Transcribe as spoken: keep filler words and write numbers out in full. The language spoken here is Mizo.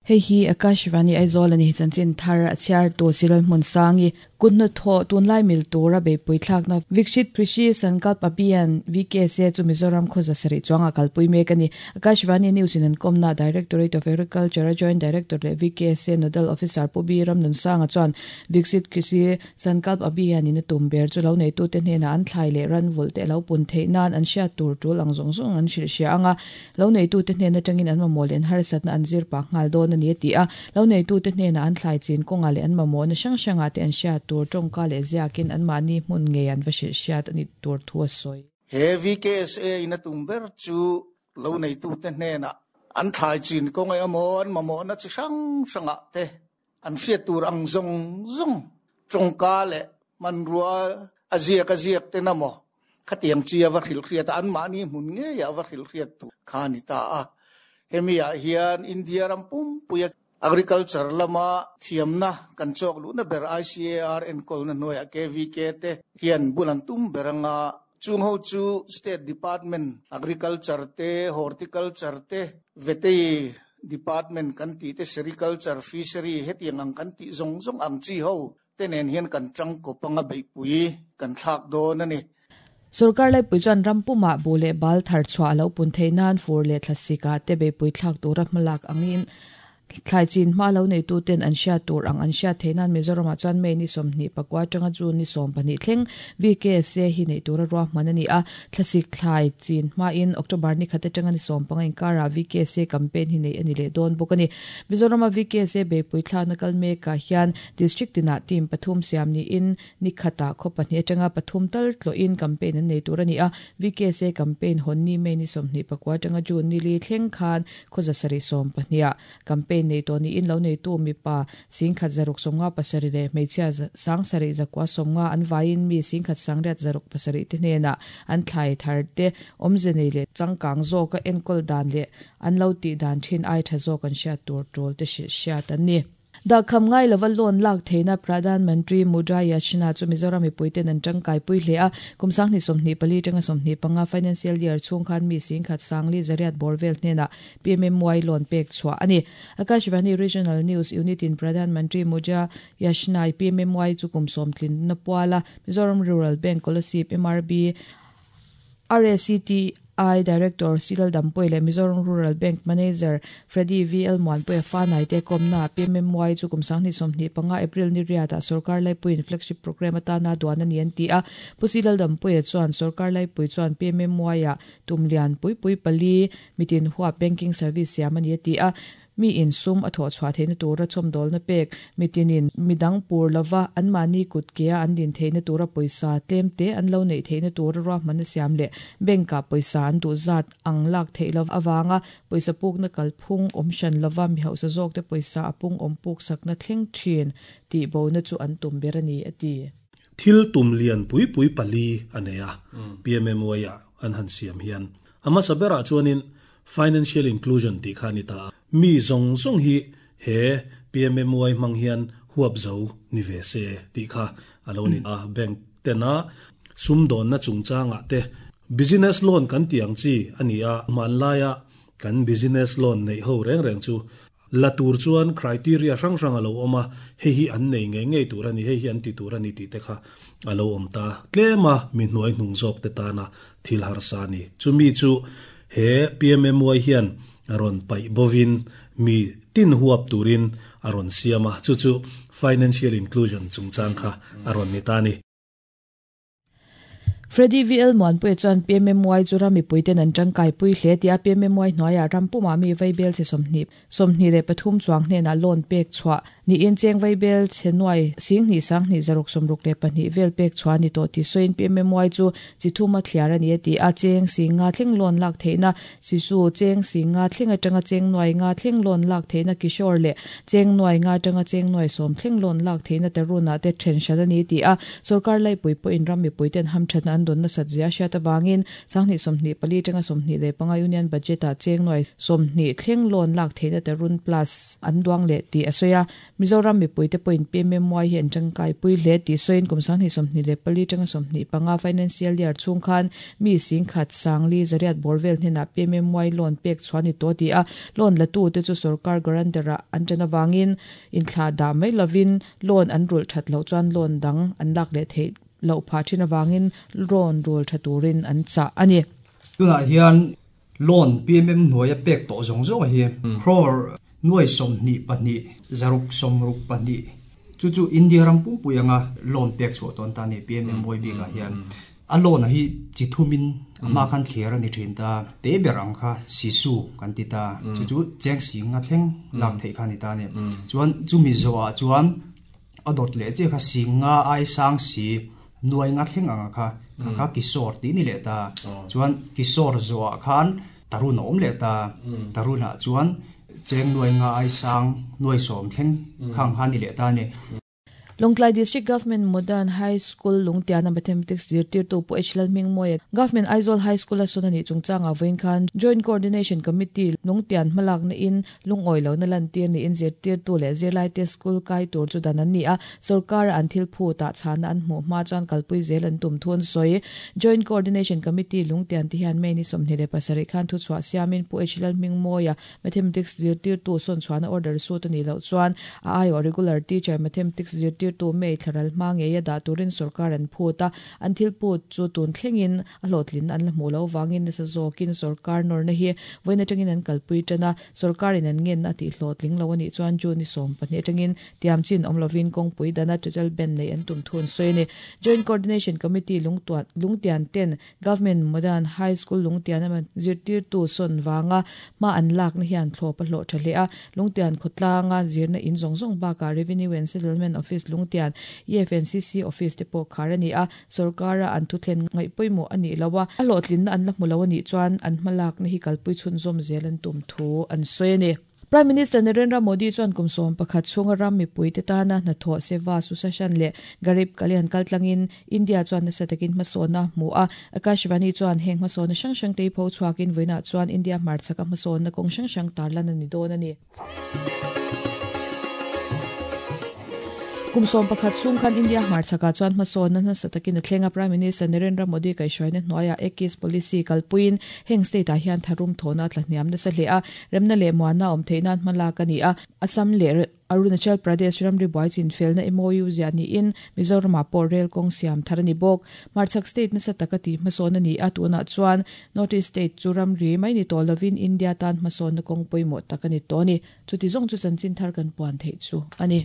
Hei hi Akashvani Aizawl ani chanchin thar a chhiar tu Silal hmun sangi kunna tho tunlai mil tura beipui thlakna Viksit Krishi Sankalp Abhiyan V K S A chu Mizoram khoza sari chuanga kalpui mek ani. Akashvani News in an komna Directorate of Agriculture Joint Director le V K S A Nodal Officer Pubi Ramnun Sanga chuan Viksit Krishi Sankalp Abhiyan in tum ber chu lo nei tu te hnena an thlai le ran vul te lo pun thei nan an hriat tur tul ang zawng zawng an hrilh hria anga lo nei tu te hnena tangin an mamawh leh an harsatna an zir pa nghal dawn ani ti a lo nei tu te hnena an thlai chin kawnga leh an mamawh na hrang hranga te an hriat tur tawngka leh ziakin an mahni hmun nge an va hrilh hriat ani tur thu a sawi. He V K S A in a tum ber chu lo nei tu te hnena an thlai chin kawnga emaw an mamawh na chi hrang hranga te an hriat tur ang zawng zawng tawngka leh manrua a ziak a ziak te na maw khatiang chi a va hrilh hriat an mahni hmun nge a va hrilh hriat tu kha ni ta a. Hemi ah hian India ram pum puia agriculture lama thiamna kan chawk lu na ber I C A R enkol na hnuaiah K V K te hian bulan tum beranga chung ho chu state department agriculture te horticulture te vetei department kan ti te sericulture fishery hetiang ang kan ti zawng zawng ang chi ho te nen hian kan tang kopanga beipui kan thlak dawn ani. Sarkar lai pui chuan rampuma bu leh bal thar chhuah lo pun thei nan fur leh thlasika te beipui thlak tura hmalak angin thlai chin hma lo nei tu ten an hriat tur ang an hriat thei nan Mizoram ah chuan May ni sawmhnih pakua atanga June ni sawm pahnih thleng V K S A hi nei tura ruahman ani a. Thlasik thlai chin hma in October ni khat atanga ni sawm panga inkara V K S A campaign hi nei ani leh dawn bawk ani. Mizoram a V K S A beipui thlakna kal mekah hian district tinah team pathum siam ni in ni khata khaw pahnih atanga pathum tal tlawhin campaign an nei tur ani a. V K S A campaign hawn ni May ni sawmhnih pakua atanga June ni li thleng khan khawza sarih sawm pahnih campaign nei to ni in lo nei tu mi pa singkhat zaruk somnga pasari le hmeichhia sang sarih zakua somnga an vaiin mi singkhat sangriat zaruk pasari te hnena an thlai thar te awmze nei leh changkang zawka enkawl dan leh an lo tih dan thin ai tha zawk an hriat tur tul te hrilh hriat an ni. Dakham ngai lova loan lak theina Pradhan Mantri Mudra Yojana chu Mizoram mipuiten an tangkai pui hle a. Kum sanghnih sawmhnih pali tanga sawmhnih panga financial year chhung khan mi singkhat sangli zariat borvel hnena P M M Y loan pek chhuah ani. Akashvani Regional News Unit in Pradhan Mantri Mudra Yojana P M M Y chu kum sawmtlin na puala Mizoram Rural Bank Kolasib M R B R A C T I Director Silal Dampui le Mizoram Rural Bank Manager Freddy V L Muanpui fa nai te komna P M M Y chu kum sanghnih sawmhnih panga April ni riata sarkar laipuiin flagship program atana duan ani an ti a. Pu Silal Dampui chuan sarkar laipui chuan P M M Y a tumlian pui pui pali mitin huwa banking service siam ani ti a. Mi in sum a thaw chhuah theihna tura chhawmdawl na pek mitinin midang pur lova an mahni kut kea an din theihna tura pawisa tlem te an lo neih theihna tura ruahman a siam leh bank ah pawisa an duh zat ang lak theih lo awanga pawisa pukna kalphung awm hran lova mi hausa zawk te pawisa a pung awm puk sakna thleng thin tih bona chu an tum ber ani a ti. Thil tum lian pui pui pali anei a P M M Y a an han siam hian ama sabera chuanin financial inclusion ti khani ta mi zong zong hi he P M M Y mang hian huap zo ni ve se ti kha alo ni a bank tena sum don na chungchanga te business loan kan tiang chi ani a man laia kan business loan nei ho reng reng chu latur chuan criteria hrang hrang alo oma hei hi an nei nge nge tur ani hei hi an ti tur ani ti te kha alo om ta tlema mi hnuai hnung zawk te tana thil har sa ni chumi chu he P M M Y hian aron pai bovin mi tin huap turin aron siama chu chu financial inclusion chungchang kha aron ni ta ni. Freddy V L Muanpui chuan P M M Y chu ram mipuiten an tangkai pui hle tia P M M Y hnuaiah rampuma mi vaibel che sawmhnih sawmhnih leh pathum chuang hnenah loan pek chhuah ni in cheng vaibel che nuai singhnih sanghnih zaruk sawmruk leh pahnih vel pek chhuah ni tawh ti sawiin P M M Y chu chi thuma thliar ani a ti a. Cheng singa thleng loan lak theihna sisu cheng singa thleng atanga cheng nuai nga thleng loan lak theihna kishore leh cheng nuai nga atanga cheng nuai sawm thleng loan lak theihna taruna te then hran ani ti a. Sarkar laipui pawhin ram mipuiten hamthatna an don na satzia hriat awangin sanghnih sawmhnih pali atanga sawmhnih leh panga union budget ah cheng nuai sawmhnih thleng loan lak theihna tarun plus an duang leh tih a sawi a. Mizoram mipui te pawhin P M M Y hi an tangkai pui hle ti soin kum sang hnih sawmhnih leh pali tanga sawmhnih panga financial year chung khan mi sing khat sangli zariat borvel hnena P M M Y loan pek chuani to ti a loan latu te chu sarkar guarantee an tana wangin in thla da mai lovin loan an rul that lo chuan loan dang an lak le thei lo pha thina wangin loan rul thaturin an cha ani tuna hian loan P M M hnuaia pek to zong zong hi crore nuai som ni pahnih zaruk som ruk pahnih chu chu India ram pum puyanga loan pek chu ton ta ni P M M Y bi ka hian a loan hi chi thumin ama khan thler ani thin ta te berang kha sisu kan ti ta chu chu cheng sing nga thleng lak thei kha ni ta ni chuan chumi zowa chuan adot le che kha singa ai sang si nuai nga thleng anga kha kha kha kisor ti ni le ta chuan kisor zowa khan tarun om le ta taruna chuan cheng nuai nga ai sang nuai som thleng khang kha ni le ta ni Longtlai District Government Modern High School Lungtiana Mathematics zirtir tu pu H L Mingmoya Government Aizawl High School a sunani chungchanga voin khan Joint Coordination Committee Lungtian hmalak na in lungoi lo na lantir ni in zirtir tu le zirlai te school kai tur chu dan an ni a sarkar an thil phu ta chana an hmu hma chuan kalpui zel an tum thun soi Joint Coordination Committee Lungtian ti hian mei ni sawmhnih leh pasarih khan thu chhuah siamin pu H L Mingmoya Mathematics zirtir tu sawn chhuahna order su ta ni lo chuan a aio regular teacher Mathematics zirtir tu mei thlaral hma nge ya da turin sarkar an phuta an thil put chu tun thlengin a hlotlin an la hmu lo wangin na sa zawkin sarkar nor na hi voina tangin an kalpui tana sarkar in an ngen a ti hlotling lo ani chuan chu ni som pahnih tangin tiam chin awm lovin kawngpui dana total ban nei an tum thun soini Joint Coordination Committee lungtuan lungtian ten Government Modern High School lungtian ama zirtir tu son wanga ma an lak na hian thlop a hlo tha a lungtian khotlanga zirna in zong zong baka Revenue and Settlement Office Lungtian E F N C C office te pawh khar ani a sarkara an thu thlen ngai pawimawh ani lowa a hlawhtlin na an la hmu lo ani chuan an hmalak na hi kalpui chhun zawm zel an tum thu an sawi ani Prime Minister Narendra Modi chuan kum sawm pakhat chhunga ram mipui te tana hnathawh seva susashan leh Garib Kalyan kaltlangin India chuan nasa takin hmasawna hmu a Akashvani chuan heng hmasawna hrang hrang te pho chhuakin vawiinah chuan India hmarchhaka hmasawna kawng hrang hrang tarlan ani dawn ani kum sawm pakhat chhung khan India hmarchhaka chuan hmasawna nasa takin a thlenga Prime Minister Narendra Modi kaihhruaina hnuaia Ekis policy kalpuiin heng state ah hian tharum thawna tlahniam nasa hle a remna leh muana awm theihnan hmalak ani a Assam leh Arunachal Pradesh ramri buai chin felna M O U zia ni in Mizoram ah pawh rail kawng siam thar ani bawk hmarchhak state nasa taka ti hmasawn ani a tunah chuan North East state chu ramri mai ni tawh lovin India tan hmasawnna kawng pawimawh tak ani tawh ani chuti zawng chu chanchin thar kan puan theih chu ani.